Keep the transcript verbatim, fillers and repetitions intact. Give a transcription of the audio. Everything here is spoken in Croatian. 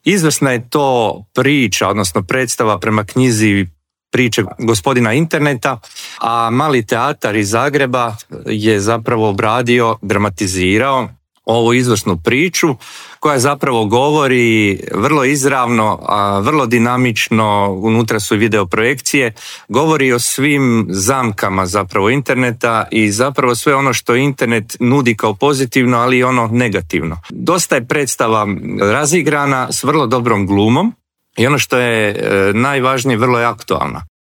Izvrsna je to priča, odnosno predstava prema knjizi priče gospodina interneta, a Mali teatar iz Zagreba je zapravo obradio, dramatizirao ovu izvrsnu priču koja zapravo govori vrlo izravno, a vrlo dinamično, unutra su i video projekcije, govori o svim zamkama zapravo interneta i zapravo sve ono što internet nudi kao pozitivno, ali i ono negativno. Dosta je predstava razigrana s vrlo dobrom glumom i ono što je najvažnije, vrlo je aktualna.